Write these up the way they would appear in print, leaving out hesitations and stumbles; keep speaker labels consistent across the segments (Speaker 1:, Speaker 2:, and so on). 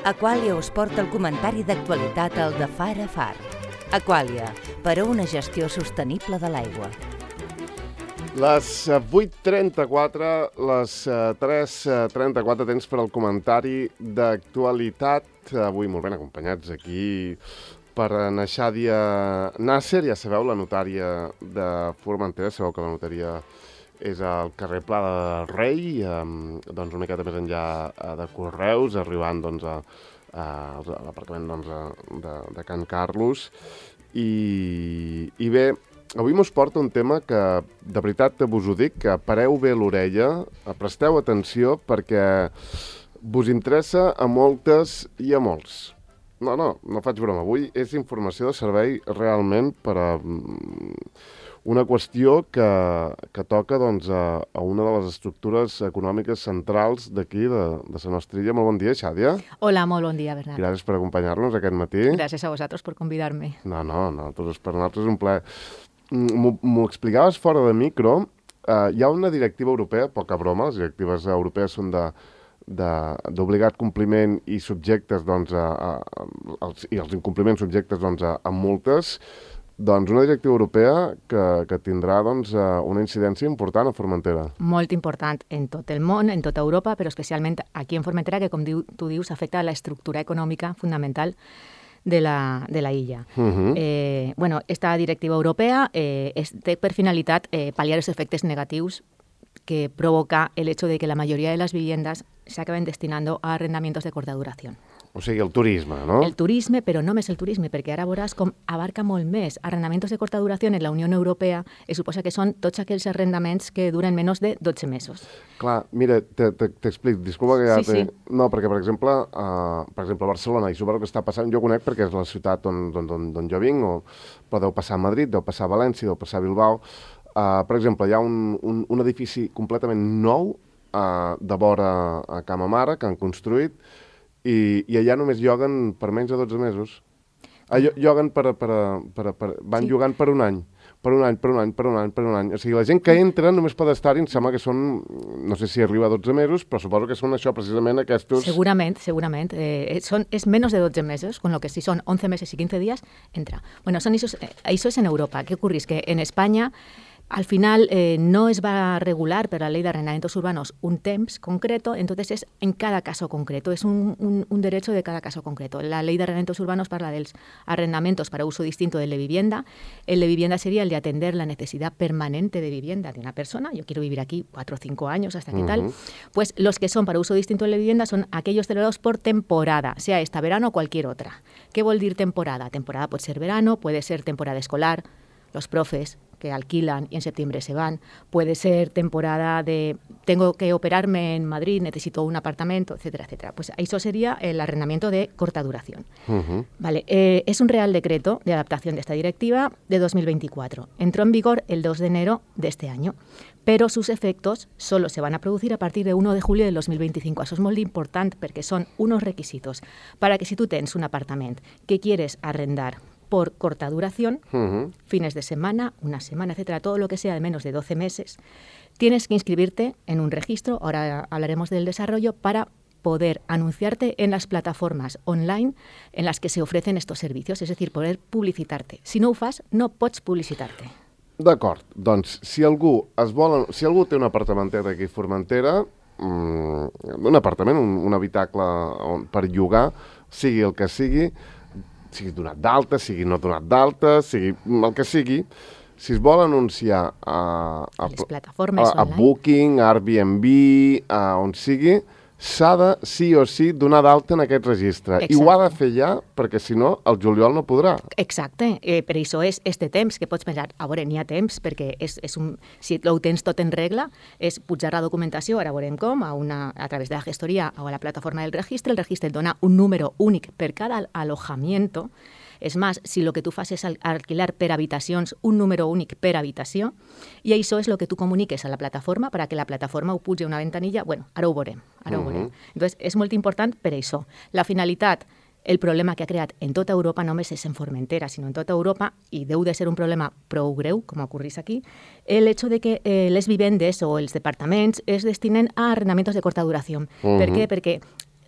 Speaker 1: Aquàlia us porta el comentari d'actualitat al de Far a Far. Aquàlia, per a una gestió sostenible de l'aigua.
Speaker 2: Les 8:34, les 3:34 temps per al comentari d'actualitat. Avui molt ben acompanyats aquí per na Xàdia Nasser. Ja sabeu, la notària de Formentera. Sabeu que la notaria és al carrer Pla del Rei, doncs una miqueta més enllà de Correus, arribant doncs, a l'aparcament de Can Carlos. I bé, avui mos porta un tema que, de veritat, vos ho dic, que pareu bé l'orella, presteu atenció, perquè vos interessa a moltes i a molts. No faig broma. Avui és informació de servei realment per a una qüestió que toca doncs, a una de les estructures econòmiques centrals d'aquí, de la nostra illa. Molt bon dia, Xàdia.
Speaker 3: Hola, molt bon dia, Bernat.
Speaker 2: Gràcies per acompanyar-nos aquest matí.
Speaker 3: Gràcies a vosaltres per convidar-me.
Speaker 2: No, per nosaltres és un plaer. M'ho explicaves fora de micro. Hi ha una directiva europea, poca broma, les directives europees són d'obligat compliment i subjectes, doncs, i els incompliments subjectes doncs, a multes. Doncs una directiva europea que tindrà doncs, una incidència important a Formentera.
Speaker 3: Molt important en tot el món, en tota Europa, però especialment aquí en Formentera, que com tu dius, afecta a la estructura econòmica fundamental de la illa. Esta directiva europea té per finalitat pal·liar els efectes negatius que provoca el hecho de que la mayoría de las viviendas se acaben destinando a arrendamientos de corta duración.
Speaker 2: O sigui, el turisme, no?
Speaker 3: El turisme, però no només el turisme, perquè ara veuràs com abarca molt més. Arrendamientos de corta duració en la Unió Europea suposa que són tots aquells arrendaments que duren menys de 12 mesos.
Speaker 2: Clar, mira, t'explico, disculpa que ja...
Speaker 3: Sí.
Speaker 2: No, perquè, per exemple, a Barcelona, i suposo que està passant, jo conec perquè és la ciutat on jo vinc, però deu passar a Madrid, deu passar a València, deu passar a Bilbao. Per exemple, hi ha un edifici completament nou de vora a Cama Mare que han construït, i allà només lloguen per menys de 12 mesos. Lloguen van llogant per un any. Per un any. O sigui, la gent que entra només pot estar-hi, em sembla que són, no sé si arriba a 12 mesos, però suposo que són això, precisament aquests...
Speaker 3: Segurament. És menys de 12 mesos, con lo que si son 11 meses y 15 días, entra. Bueno, eso es en Europa. ¿Qué ocurre? Es que en España... Al final no es va a regular per la ley de arrendamientos urbanos un temps concreto, entonces es en cada caso concreto, es un derecho de cada caso concreto. La ley de arrendamientos urbanos parla dels arrendamientos para uso distinto del de vivienda. El de vivienda sería el de atender la necesidad permanente de vivienda de una persona. Yo quiero vivir aquí 4 o 5 años, hasta qué tal. Pues los que son para uso distinto del de vivienda son aquellos celebrados por temporada, sea esta verano o cualquier otra. ¿Qué vol dir temporada? Temporada puede ser verano, puede ser temporada escolar, los profes que alquilan y en septiembre se van. Puede ser temporada de tengo que operarme en Madrid, necesito un apartamento, etcétera, etcétera. Pues eso sería el arrendamiento de corta duración. Vale, es un Real Decreto de adaptación de esta directiva de 2024. Entró en vigor el 2 de enero de este año, pero sus efectos solo se van a producir a partir de 1 de julio del 2025. Això és molt important perquè són unos requisitos para que si tú tens un apartament que quieres arrendar por corta duración, fines de semana, una semana, etcétera, todo lo que sea de menos de 12 meses, tienes que inscribirte en un registro, ahora hablaremos del desarrollo, para poder anunciarte en las plataformas online en las que se ofrecen estos servicios, es decir, poder publicitarte. Si no ho fas, no pots publicitar-te.
Speaker 2: D'acord, doncs, si algú té un apartamentet aquí a Formentera, un apartament, un habitacle per llogar, sigui el que sigui donat d'alta, sigui no donat d'alta, sigui el que sigui, si es vol anunciar
Speaker 3: les plataformes
Speaker 2: a Booking, a Airbnb, a on sigui, s'ha de, sí o sí, donar d'alta en aquest registre.
Speaker 3: Exacte.
Speaker 2: I ho ha de fer ja, perquè si no, el juliol no podrà.
Speaker 3: Exacte, per això és este temps que pots pensar, a veure, n'hi ha temps, perquè si ho tens tot en regla, és pujar la documentació, ara veurem com, a través de la gestoria o a la plataforma del registre, el registre et dona un número únic per cada alojamiento. És més, si el que tu fas és alquilar per habitacions, un número únic per habitació, i això és el que tu comuniques a la plataforma perquè la plataforma ho pugi a una ventanilla, bueno, ara ho veurem. Entonces, és molt important per això. La finalitat, el problema que ha creat en tota Europa, no només és en Formentera, sinó en tota Europa, i deu de ser un problema prou greu, com ocorrís aquí, el hecho de que les vivendes o els departaments es destinen a arrendamientos de corta duració. Per què? Perquè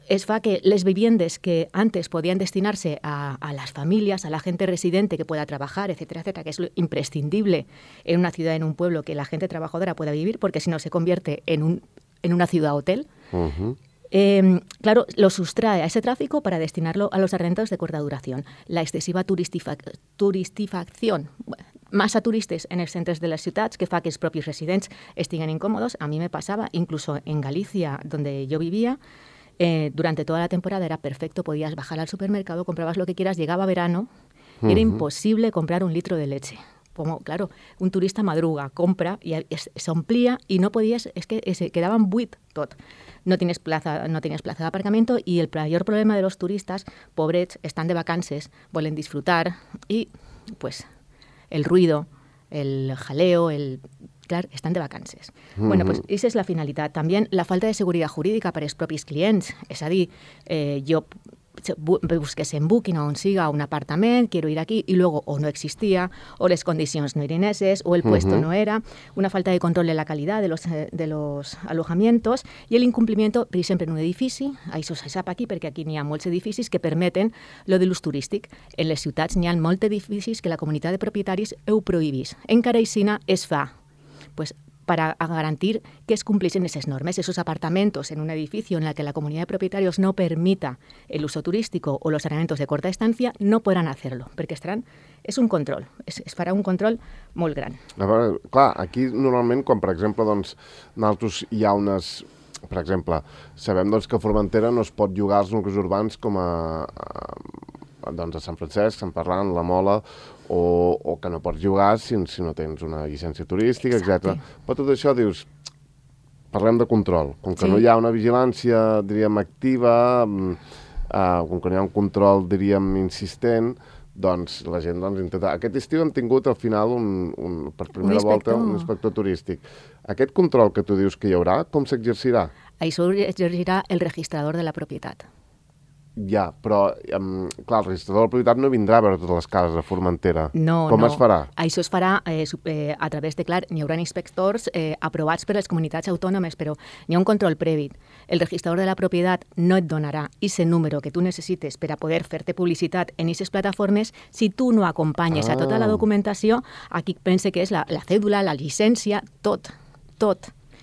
Speaker 3: es fa que les viviendas que antes podían destinarse a las familias, a la gente residente que pueda trabajar, etcétera, etcétera, que es lo imprescindible en una ciudad, en un pueblo, que la gente trabajadora pueda vivir, porque si no se convierte en una ciudad hotel. Claro, lo sustrae a ese tráfico para destinarlo a los arrendados de corta duración. La excesiva turistifacción, massa turistes en els centres de les ciutats, que fa que els propis residents estiguen incòmodos. A mi me passava, incluso en Galicia, donde yo vivía, durante toda la temporada era perfecto, podías bajar al supermercado, comprabas lo que quieras, llegaba verano y era imposible comprar un litro de leche. Como, claro, un turista madruga, compra y se omplía y no podías, es que se quedaban buit tot. No tienes plaza de aparcamiento y el mayor problema de los turistas, pobrets, están de vacances, vuelven disfrutar y pues el ruido, el jaleo, clar, estan de vacances. Bueno, pues esa és la finalitat. També la falta de seguretat jurídica per als propis clients. És a dir, jo busques en Booking on siga un apartament, quiero ir aquí, y luego o no existía, o les condicions no eren esas, o el puesto no era, una falta de control de la calidad de los alojamientos y el incumplimiento, per exemple, en un edifici, això se sap aquí perquè aquí n'hi ha molts edificis que permeten lo de l'ús turístic. En les ciutats n'hi ha molts edificis que la comunitat de propietaris ho prohibís. Encara aixina es fa, pues, para garantir que es cumplisen esas normas. Esos apartamentos en un edificio en el que la comunidad de propietarios no permita el uso turístico o los arrendamientos de corta estancia no podran hacerlo, perquè és un control, es farà un control molt gran.
Speaker 2: A veure, clar, aquí normalment, quan per exemple, doncs, nosaltres hi ha unes... Per exemple, sabem doncs, que a Formentera no es pot llogar als nuclis urbans com doncs, a Sant Francesc, Sant Ferran, La Mola, o que no pots jugar si no tens una llicència turística, etc. Però tot això dius, parlem de control. Com que no hi ha una vigilància, diríem, activa, com que no hi ha un control, diríem, insistent, doncs la gent intenta... Aquest estiu hem tingut al final, per primera volta, un inspector turístic. Aquest control que tu dius que hi haurà, com s'exercirà?
Speaker 3: Això exercirà el registrador de la propietat.
Speaker 2: Ja, però, clar, el registrador de la propietat no vindrà a veure totes les cases a Formentera.
Speaker 3: No,
Speaker 2: Com es farà?
Speaker 3: Això es farà a través de, clar, n'hi haurà inspectors aprovats per les comunitats autònomes, però n'hi ha un control previ. El registrador de la propietat no et donarà ese número que tu necessites per a poder fer-te publicitat en aquestes plataformes si tu no acompanyes a tota la documentació. Aquí pense que és la cèdula, la llicència, tot.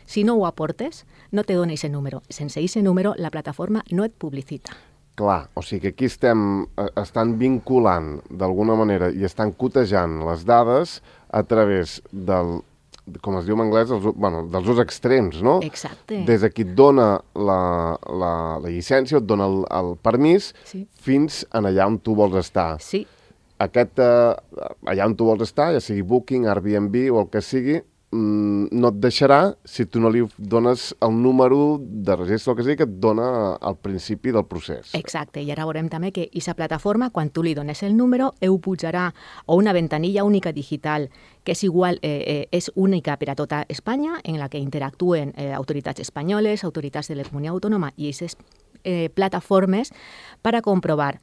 Speaker 3: Si no ho aportes, no te dona ese número. Sense ese número, la plataforma no et publicita.
Speaker 2: Clar, o sigui que aquí estan vinculant d'alguna manera i estan cotejant les dades a través del, com es diu en anglès, dels dos extrems, no?
Speaker 3: Exacte.
Speaker 2: Des de qui et dona la llicència, et dona el permís, fins en allà on tu vols estar.
Speaker 3: Sí.
Speaker 2: Allà on tu vols estar, ja sigui Booking, Airbnb o el que sigui, no et deixarà si tu no li dones el número de registre, el que sigui, que et dona al principi del procés.
Speaker 3: Exacte, i ara veurem també que aquesta plataforma, quan tu li dones el número, ho pujarà a una ventanilla única digital, que és igual, és única per a tota Espanya, en la que interactuen autoritats espanyoles, autoritats de la comunitat autònoma i aquestes plataformes per a comprovar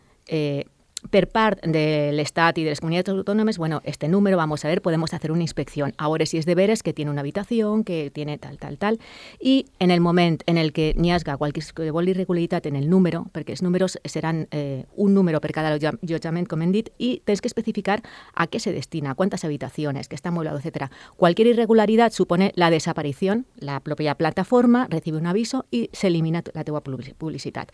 Speaker 3: per part de l'Estat y de las comunidades autónomas, bueno, este número, vamos a ver, podemos hacer una inspección. Ahora si es de veres que tiene una habitación, que tiene tal. Y en el moment en el que n'hi hagi qualsevol irregularitat en el número, perquè els números seran un número per cada allotjament, com hem dit, i tens que especificar a què se destina, cuántas habitaciones, que está amueblado, etc. Cualquier irregularidad supone la desaparición, la propia plataforma recibe un aviso i s'elimina la teva publicitat.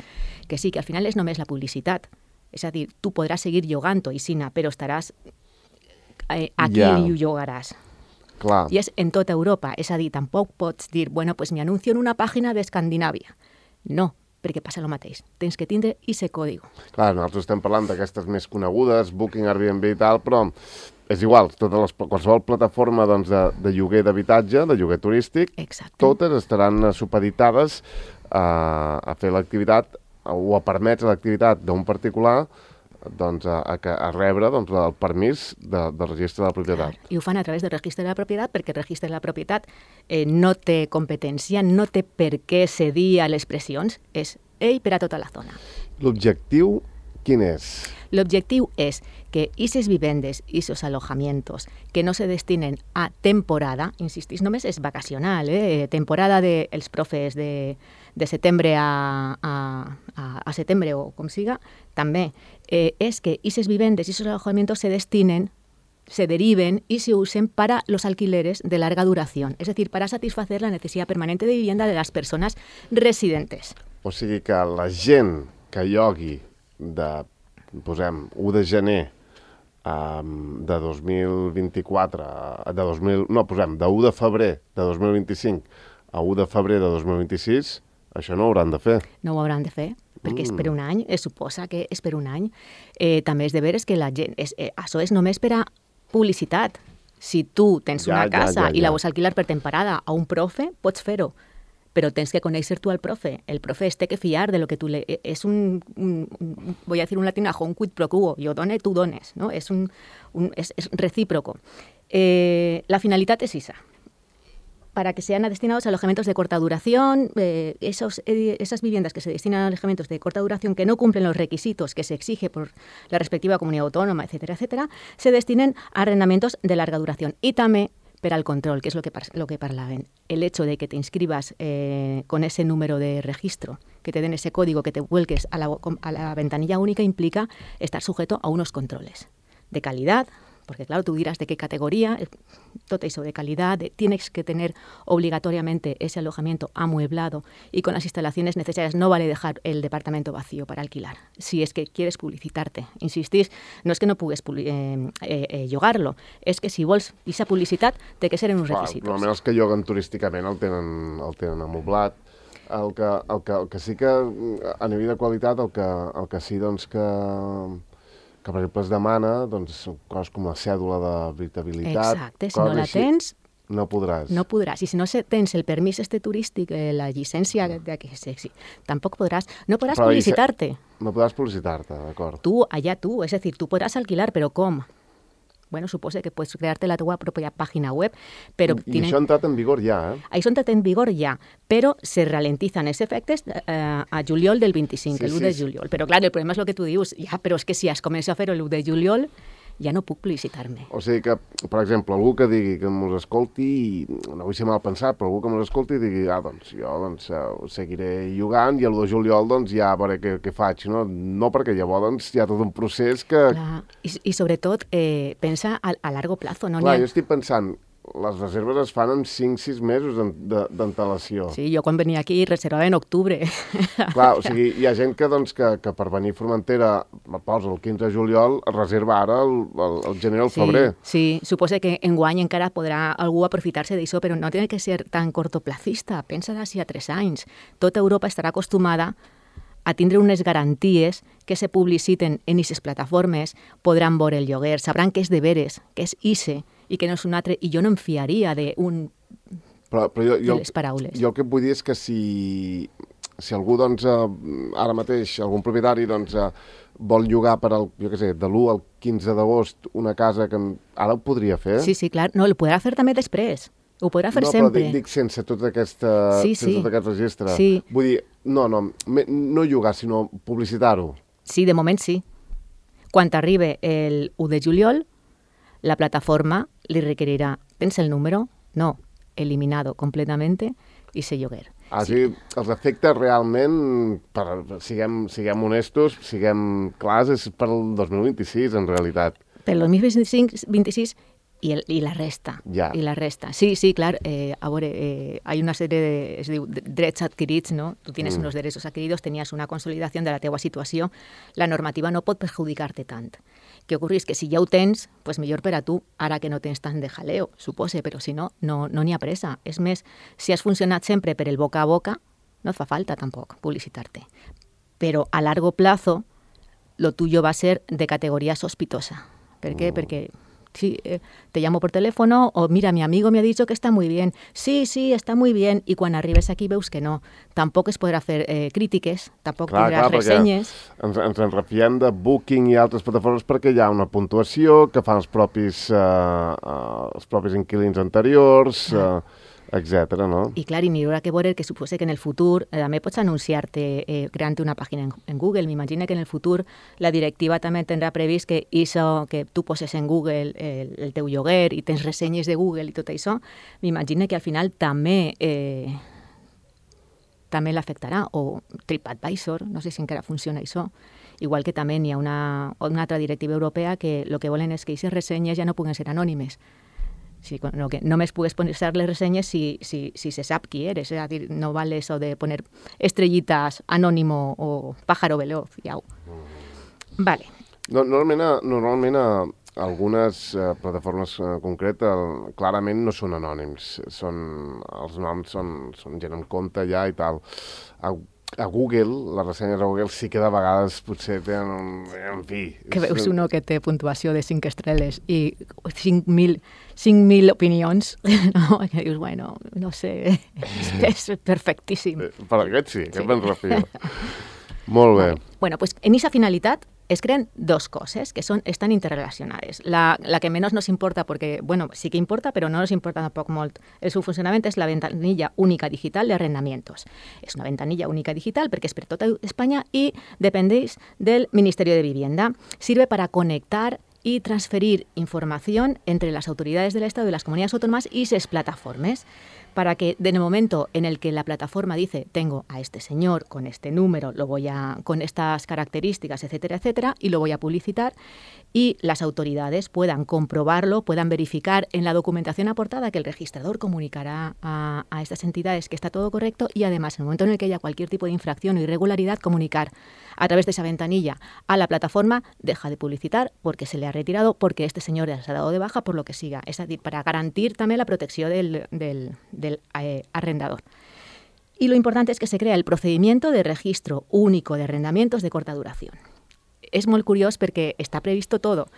Speaker 3: Que sí, que al final és només la publicitat. És a dir, tu podràs seguir llogant-ho, Isina, però estaràs aquí i ho llogaràs.
Speaker 2: Clar.
Speaker 3: I és en tota Europa. És a dir, tampoc pots dir, bueno, pues me anuncio en una pàgina d'Escandinàvia. No, perquè passa el mateix. Tens que tindre ese código.
Speaker 2: Clar, nosaltres estem parlant d'aquestes més conegudes, Booking, Airbnb i tal, però és igual, qualsevol plataforma de lloguer d'habitatge, de lloguer turístic, totes estaran supeditades a fer l'activitat o a permetre l'activitat d'un particular a rebre el permís del registre de la propietat.
Speaker 3: I ho fan a través del registre de la propietat perquè el registre de la propietat no té competència, no té per què cedir a les pressions, és ell per a tota la zona.
Speaker 2: L'objectiu quin és?
Speaker 3: L'objectiu és que aquestes vivendes, aquests alojamientos que no se destinen a temporada, insistís, només és vacacional, temporada dels profes de setembre a a setembre o com siga, també és que aquestes vivendes i aquests alojamientos se deriven y se usen para los alquileres de larga duración, es decir, para satisfacer la necesidad permanente de vivienda de las personas residentes.
Speaker 2: O sigui que la gent que llogui posem, 1 de gener de 2024, posem, de 1 de febrer de 2025 a 1 de febrer de 2026, això no ho hauran de fer.
Speaker 3: No ho hauran de fer, perquè és per un any, es suposa que és per un any. També és de veres que la gent, això és només per a publicitat. Si tu tens una casa i la vols alquilar per temporada a un profe, pots fer-ho, però tens que conèixer tu al profe. El profe es té que fiar de lo que tu le... És voy a decir un latinajo, un quid pro quo. Jo done, tu dones, no? És recíproco. La finalitat és esa. Para que sean destinados a alojamientos de corta duración, esas viviendas que se destinan a alojamientos de corta duración que no cumplen los requisitos que se exige por la respectiva comunidad autónoma, etcétera, etcétera, se destinen a arrendamientos de larga duración. Y también para el control, que es lo que parlaven. El hecho de que te inscribas con ese número de registro, que te den ese código, que te vuelques a la ventanilla única, implica estar sujeto a unos controles de calidad, porque claro, tú dirás de qué categoría, todo eso de calidad, tienes que tener obligatoriamente ese alojamiento amueblado y con las instalaciones necesarias. No vale dejar el departamento vacío para alquilar, si es que quieres publicitarte. Insistís, no és que no pugues llogar-lo, és que si vols aquesta publicitat té que ser en uns requisitos.
Speaker 2: Normalment els que lloguen turísticament el tenen amoblat. El que sí que a nivell de qualitat, el que sí doncs que per exemple es demana, doncs, coses com la cèdula d'habitabilitat.
Speaker 3: Exacte, si no la tens...
Speaker 2: No podràs.
Speaker 3: No podràs. I si no tens el permís turístic, la llicència tampoc podràs. No podràs publicitar-te.
Speaker 2: No podràs publicitar-te, d'acord.
Speaker 3: Tu, és a dir, tu podràs alquilar, però com? Bueno, suposa que pots crear-te la teva pròpia pàgina web, però...
Speaker 2: I això ha entrat en vigor ja,
Speaker 3: Això ha entrat en vigor ja, però se ralentizan els efectes a juliol del 25, l'1 de juliol. Però, clar, el problema és el que tu dius, però és que si has començat a fer-ho l'1 de juliol, ja no puc publicitar-me.
Speaker 2: O sigui que, per exemple, algú que digui que mos escolti, no vull ser mal pensat, però algú que mos escolti digui, doncs jo seguiré llogant i l'1 de juliol ja veuré què faig, no? No, perquè llavors hi ha tot un procés que...
Speaker 3: Clar, i sobretot pensa a largo plazo, no?
Speaker 2: Clar, jo estic pensant, les reserves es fan en 5-6 mesos d'antelació.
Speaker 3: Sí, jo quan venia aquí reservava en octubre.
Speaker 2: Clar, o sigui, hi ha gent que per venir a Formentera, posa el 15 de juliol, reserva ara el gener o el febrer.
Speaker 3: Sí, suposa que enguany encara podrà algú aprofitar-se d'això, però no té que ser tan cortoplacista. Pensa d'ací a 3 anys. Tota Europa estarà acostumada a tindre unes garanties que se publiciten en aquestes plataformes, podran veure el lloguer, sabran que és de veres, que és ICE, i que no és un altre, i jo no em fiaria de les paraules.
Speaker 2: Jo el que vull dir és que si algú, doncs, ara mateix, algun propietari, doncs, vol llogar per de l'1 al 15 d'agost una casa que ara ho podria fer?
Speaker 3: Sí, clar. No, el podrà fer també després. Ho podrà fer sempre.
Speaker 2: No, però dic sense tot aquest registre.
Speaker 3: Sí.
Speaker 2: Vull dir, no llogar, sinó publicitar-ho.
Speaker 3: Sí, de moment sí. Quan arribi el 1 de juliol, la plataforma li requerirà, tens el número? No, eliminado completamente i se lloguer.
Speaker 2: Sí, els efectes realment, siguem honestos, siguem clars, és per al 2026, en realitat.
Speaker 3: Per al 2026 i la resta.
Speaker 2: Ja.
Speaker 3: I la resta. Sí, clar, a veure, hay una sèrie es diu drets adquirits, no? Tu tienes unos derechos adquiridos, tenías una consolidación de la teua situació, la normativa no pot perjudicar-te tant. Què ocorris? Que si ja ho tens, pues millor per a tu, ara que no tens tant de jaleo, supose, però si no n'hi ha pressa. És més, si has funcionat sempre per el boca a boca, no et fa falta tampoc publicitar-te. Però a largo plazo, lo tuyo va a ser de categoría sospitosa. ¿Por qué? Porque sí, te llamo por teléfono o mira, mi amigo me ha dicho que está muy bien. Sí, está muy bien. I quan arribes aquí veus que no. Tampoc es podrà fer crítiques, tampoc tindràs ressenyes.
Speaker 2: Ens en refiem de Booking i altres plataformes perquè hi ha una puntuació que fan els propis inquilins anteriors, etcètera, no?
Speaker 3: I clar, i m'haurà que veure que suposa que en el futur també pots anunciar-te creant una pàgina en Google. M'imagino que en el futur la directiva també tindrà previst que això que tu poses en Google el teu lloguer i tens ressenyes de Google i tot això, m'imagino que al final també també l'afectarà, o TripAdvisor, no sé si encara funciona això, igual que també hi ha una altra directiva europea que el que volen és que aquestes ressenyes ja no puguen ser anònimes. Sí, no, que només pugues posar les ressenyes si se sap qui eres, és a dir, no val eso de poner estrellitas anònimo o pájaro veloz, ja. Vale.
Speaker 2: Normalment algunes plataformes concretes clarament no són anònims, els noms són gent amb compte ja i tal. A Google, les ressenyes a Google sí que de vegades potser tenen en fi...
Speaker 3: Que veus uno que té puntuació de 5 estrelles i 5.000 opinions, no? Que dius, bueno, no sé, és perfectíssim.
Speaker 2: Per aquest sí, aquest me'n refio. Molt bé.
Speaker 3: Bueno, pues en esa finalitat es creen dos cosas que están interrelacionadas. La que menos nos importa, porque, bueno, sí que importa, pero no nos importa tampoco molt. Su funcionamiento es la ventanilla única digital de arrendamientos. Es una ventanilla única digital porque es per tota España y dependéis del Ministerio de Vivienda. Sirve para conectar y transferir información entre las autoridades del Estado y las comunidades autónomas y sus plataformas, para que en el momento en el que la plataforma dice tengo a este señor con este número, con estas características, etcétera, etcétera, y lo voy a publicitar, y las autoridades puedan comprobarlo, puedan verificar en la documentación aportada que el registrador comunicará a estas entidades que está todo correcto, y además en el momento en el que haya cualquier tipo de infracción o irregularidad, comunicar a través de esa ventanilla a la plataforma, deja de publicitar porque se le ha retirado, porque este señor ya se ha dado de baja, por lo que siga. Es decir, para garantir también la protección del arrendador. Y lo importante es que se crea el procedimiento de registro único de arrendamientos de corta duración. Es muy curioso porque está previsto todo.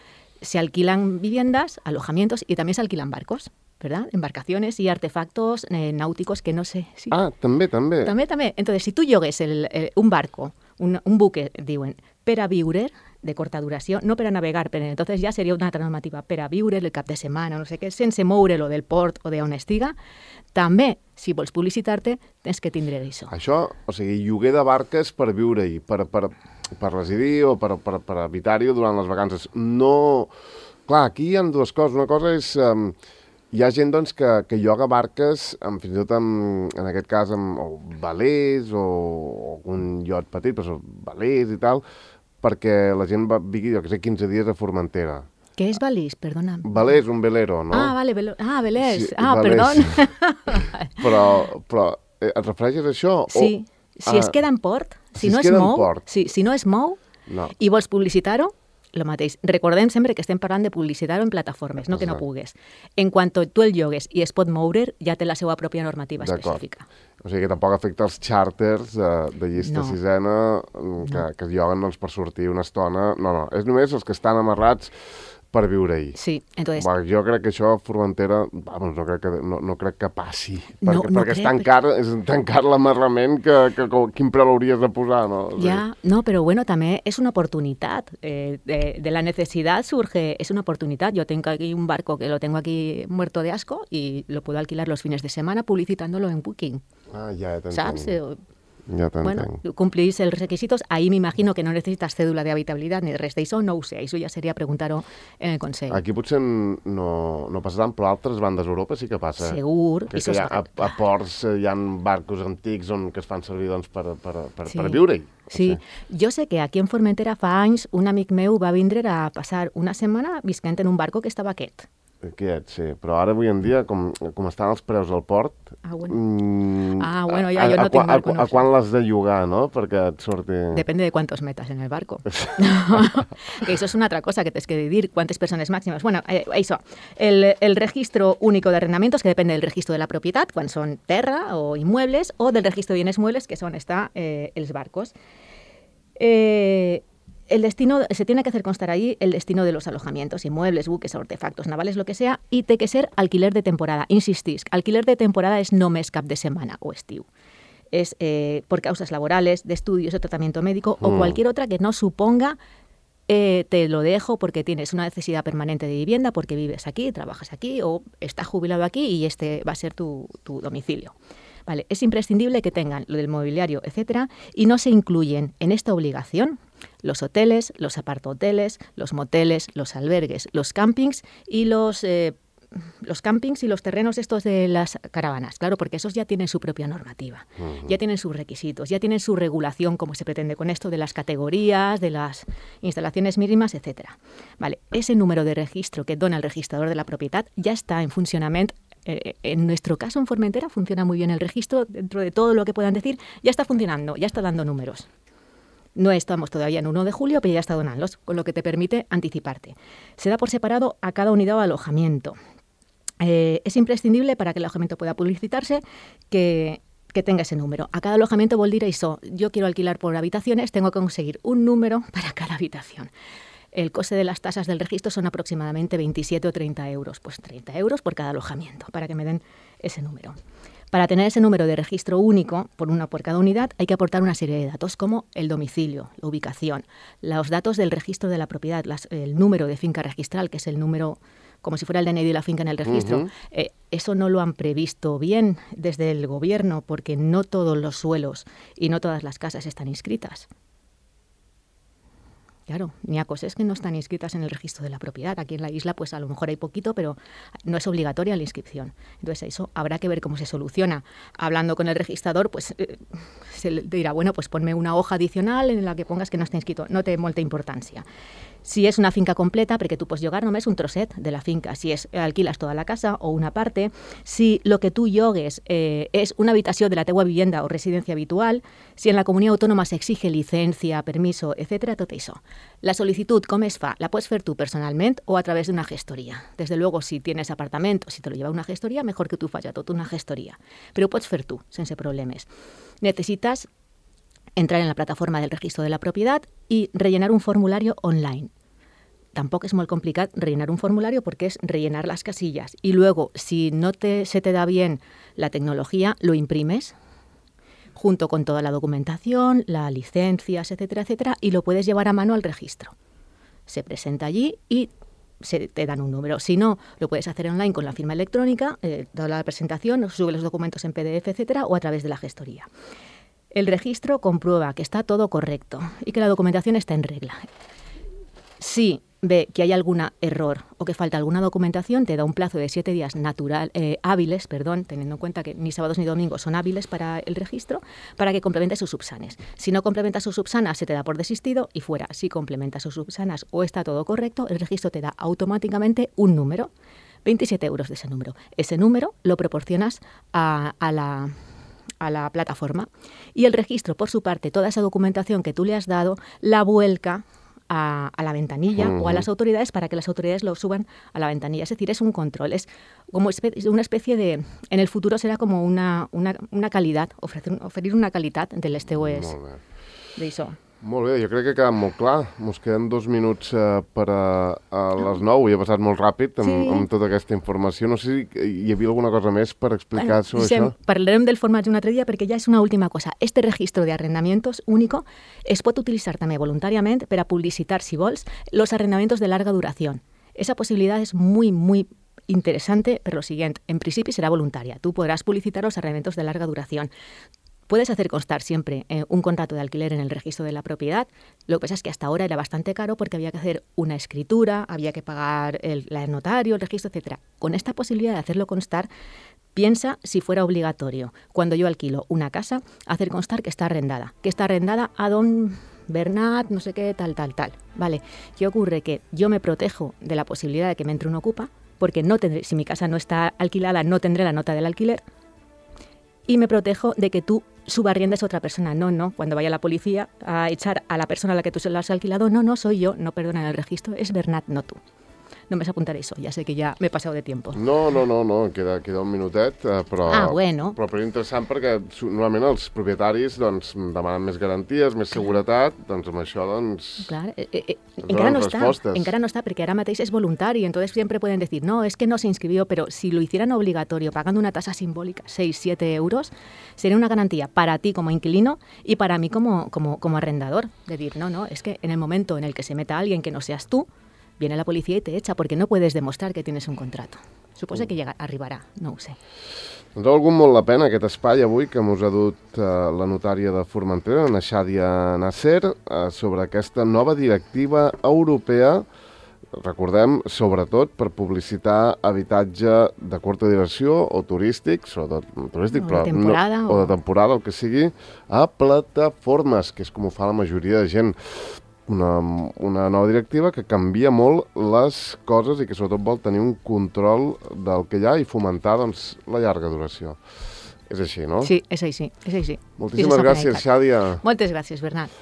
Speaker 3: Se alquilan viviendas, alojamientos y también se alquilan barcos, ¿verdad? Embarcaciones y artefactos náuticos que no sé si...
Speaker 2: Ah, també.
Speaker 3: També. Entonces, si tú llogues un barco, un buque, diuen, per a viure, de corta duració, no per a navegar, però entonces ja seria una altra normativa, per a viure el cap de setmana, no sé què, sense moure-lo del port o d'on estiga, també, si vols publicitar-te, tens que tindre això.
Speaker 2: Això, o sigui, lloguer de barques per viure-hi, per residir o per habitar-hi durant les vacances. No... Clar, aquí hi ha dues coses. Una cosa és... hi ha gent doncs, que lloga barques, fins i tot en aquest cas amb velers o algun iot petit, però velers i tal, perquè la gent vingui, jo que sé, 15 dies a Formentera.
Speaker 3: Què és velers? Perdona.
Speaker 2: Velers, un velero, no?
Speaker 3: Ah, vale, velers.
Speaker 2: Sí,
Speaker 3: velers.
Speaker 2: Perdó. però et refereixes a això?
Speaker 3: Sí, si es queda en port, si no es mou,
Speaker 2: no.
Speaker 3: I vols publicitar-ho, el mateix. Recordem sempre que estem parlant de publicitar-ho en plataformes, no que no pugues. En quant tu el llogues i es pot moure, ja té la seva pròpia normativa específica.
Speaker 2: O sigui que tampoc afecta els xàrters de llista sisena que es lloguen doncs, per sortir una estona. No, és només els que estan amarrats per viure-hi.
Speaker 3: Sí, entonces...
Speaker 2: Jo crec que això a Formentera, no crec que passi, perquè és tan car l'amarrament que quin preu l'hauries de posar, no? O sigui...
Speaker 3: no, però bueno, també és una oportunitat. De la necessitat surge, és una oportunitat. Yo tengo aquí un barco que lo tengo aquí muerto de asco y lo puedo alquilar los fines de semana publicitándolo en Booking.
Speaker 2: Ah, ja t'entenc.
Speaker 3: ¿Sabes?
Speaker 2: Ja
Speaker 3: bueno, cumplís els requisitos, ahí me imagino que no necesitas cédula de habitabilitat ni res d'això, no ho sé, això ja seria preguntar-ho en el Consell.
Speaker 2: Aquí potser no passaran, però a altres bandes d'Europa sí que passa.
Speaker 3: Segur.
Speaker 2: Que a ports hi ha barcos antics que es fan servir doncs, per viure-hi.
Speaker 3: Sí, jo sé que aquí en Formentera fa anys un amic meu va vindre a passar una setmana visquent en un barco que estava aquest.
Speaker 2: Aquest, sí. Però ara, avui en dia, com estan els preus al port...
Speaker 3: bueno, ja jo no tinc barco.
Speaker 2: A quan l'has de llogar, no?, perquè et surti...
Speaker 3: Depende de cuántos metas en el barco. Que eso es una otra cosa que tienes que decir, cuántas personas máximas. Bueno, eso, el registro único de arrendamientos, que depende del registro de la propiedad, cuando son terra o inmuebles, o del registro de bienes muebles, que son els barcos. El destino, se tiene que hacer constar ahí el destino de los alojamientos, inmuebles, buques, artefactos navales, lo que sea, y té que ser alquiler de temporada. Insistisc, alquiler de temporada és només cap de setmana o estiu. Es por causas laborales, de estudios, de tratamiento médico o cualquier otra que no suponga te lo dejo porque tienes una necesidad permanente de vivienda, porque vives aquí, trabajas aquí o estás jubilado aquí y este va a ser tu domicilio. Vale, es imprescindible que tengan lo del mobiliario, etcétera, y no se incluyen en esta obligación los hoteles, los apartahoteles, los moteles, los albergues, los campings y los los campings y los terrenos estos de las caravanas, claro, porque esos ya tienen su propia normativa, ya tienen sus requisitos, ya tienen su regulación, como se pretende con esto, de las categorías, de las instalaciones mínimas, etcétera. Vale, ese número de registro que dona el registrador de la propiedad ya está en funcionamiento. En nuestro caso, en Formentera, funciona muy bien el registro, dentro de todo lo que puedan decir, ya está funcionando, ya está dando números. No estamos todavía en 1 de julio, pero ya está donándolos, con lo que te permite anticiparte. Se da por separado a cada unidad o alojamiento. Es imprescindible para que el alojamiento pueda publicitarse que tenga ese número. A cada alojamiento vol dir això. Yo quiero alquilar por habitaciones, tengo que conseguir un número para cada habitación. El coste de las tasas del registro son aproximadamente 27 o 30 euros. Pues 30 euros por cada alojamiento, para que me den ese número. Para tener ese número de registro único, por cada unidad, hay que aportar una serie de datos como el domicilio, la ubicación, los datos del registro de la propiedad, el número de finca registral, que es el número como si fuera el DNI de la finca en el registro. Eso no lo han previsto bien desde el gobierno porque no todos los suelos y no todas las casas están inscritas. Claro, ni a cosas que no están inscritas en el registro de la propiedad. Aquí en la isla, pues a lo mejor hay poquito, pero no es obligatoria la inscripción. Entonces, eso habrá que ver cómo se soluciona. Hablando con el registrador, pues se le dirá, bueno, pues ponme una hoja adicional en la que pongas que no está inscrito. No té molta importància. Si és una finca completa, perquè tu pots llogar només un trosset de la finca, si alquiles tota la casa o una parte, si lo que tu llogues és una habitació de la teua vivienda o residència habitual, si en la comunitat autònoma s'exige licencia, permiso, etc., tot això. La sol·licitud, com es fa? La pots fer tu personalment o a través d'una gestoria. Desde luego, si tienes apartamento, si te lo lleva una gestoria, mejor que tu faci tot una gestoria. Però ho pots fer tu, sense problemes. Necesitas entrar en la plataforma del registro de la propiedad y rellenar un formulario online. Tampoco es muy complicado rellenar un formulario porque es rellenar las casillas. Y luego, si no se te da bien la tecnología, lo imprimes junto con toda la documentación, las licencias, etcétera, etcétera, y lo puedes llevar a mano al registro. Se presenta allí y te dan un número. Si no, lo puedes hacer online con la firma electrónica, toda la presentación, sube los documentos en PDF, etcétera, o a través de la gestoría. El registro comprueba que está todo correcto y que la documentación está en regla. Si ve que hay algún error o que falta alguna documentación, te da un plazo de 7 días hábiles, teniendo en cuenta que ni sábados ni domingos son hábiles para el registro, para que complemente sus subsanes. Si no complementas sus subsanas, se te da por desistido y fuera. Si complementas sus subsanas o está todo correcto, el registro te da automáticamente un número, 27 euros de ese número. Ese número lo proporcionas a la plataforma y el registro, por su parte, toda esa documentación que tú le has dado, la vuelca a la ventanilla o a las autoridades para que las autoridades lo suban a la ventanilla. Es decir, es un control, es como una especie de... En el futuro será como una calidad, oferir una calidad del esteues d'això.
Speaker 2: Molt bé, jo crec que ha quedat molt clar. Ens queden 2 minuts per a les 9 i ha passat molt ràpid amb tota aquesta informació. No sé si hi havia alguna cosa més per explicar sobre això.
Speaker 3: Parlarem del formatge un altre dia perquè ja és una última cosa. Este registro de arrendamientos único es pot utilitzar també voluntàriament per a publicitar, si vols, los arrendamientos de larga duración. Esa posibilidad es muy, muy interesante, pero lo siguiente, en principio será voluntaria. Tú podrás publicitar los arrendamientos de larga duración. Puedes hacer constar siempre un contrato de alquiler en el registro de la propiedad. Lo que pasa es que hasta ahora era bastante caro porque había que hacer una escritura, había que pagar el notario, el registro, etc. Con esta posibilidad de hacerlo constar, piensa si fuera obligatorio, cuando yo alquilo una casa, hacer constar que está arrendada a don Bernat, no sé qué, tal. Vale, ¿qué ocurre? Que yo me protejo de la posibilidad de que me entre un ocupa, porque si mi casa no está alquilada, no tendré la nota del alquiler, y me protejo de que tú subarriendes a otra persona. No, cuando vaya la policía a echar a la persona a la que tú se lo has alquilado, no soy yo, no, perdona, en el registro es Bernat, no tú. No me apuntaré eso, ja sé que ja m'he passat de tiempo.
Speaker 2: No, queda un minutet, però és interessant perquè normalment els propietaris demanen més garanties, més seguretat, amb això
Speaker 3: Clar, encara no està, perquè ara mateix és voluntari, entonces siempre pueden decir, no, es que no se inscribió, pero si lo hicieran obligatorio, pagando una tasa simbólica, 6-7 euros, sería una garantía para ti como inquilino y para mí como arrendador. Decir, no, es que en el momento en el que se meta alguien que no seas tú, viene la policía y te echa porque no puedes demostrar que tienes un contrato. Suposo que arribarà, no ho sé.
Speaker 2: Ens ha valgut molt la pena aquest espai avui que ens ha dut la notària de Formentera, Naxàdia Nasser, sobre aquesta nova directiva europea recordem, sobretot per publicitar habitatge de curta duració o turístic, sobretot turístic,
Speaker 3: o de temporada,
Speaker 2: o de temporada, el que sigui, a plataformes, que és com ho fa la majoria de gent. Una nova directiva que canvia molt les coses i que sobretot vol tenir un control del que hi ha i fomentar doncs, la llarga duració. És així, no?
Speaker 3: Sí, és així, és així.
Speaker 2: Moltíssimes gràcies, Xàdia.
Speaker 3: Moltes gràcies, Bernat.